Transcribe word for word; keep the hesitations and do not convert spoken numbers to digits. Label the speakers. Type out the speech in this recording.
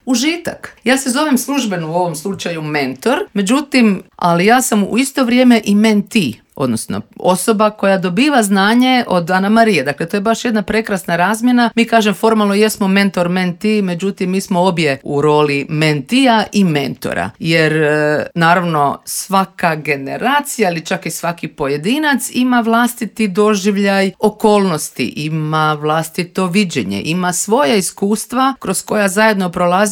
Speaker 1: užitak. Ja se zovem službeno u ovom slučaju mentor, međutim, ali ja sam u isto vrijeme i mentee, odnosno osoba koja dobiva znanje od Ana Marije. Dakle, to je baš jedna prekrasna razmjena. Mi kažem formalno jesmo mentor, mentee, međutim mi smo obje u roli mentija i mentora. Jer naravno svaka generacija ili čak i svaki pojedinac ima vlastiti doživljaj okolnosti, ima vlastito viđenje, ima svoja iskustva kroz koja zajedno prolazimo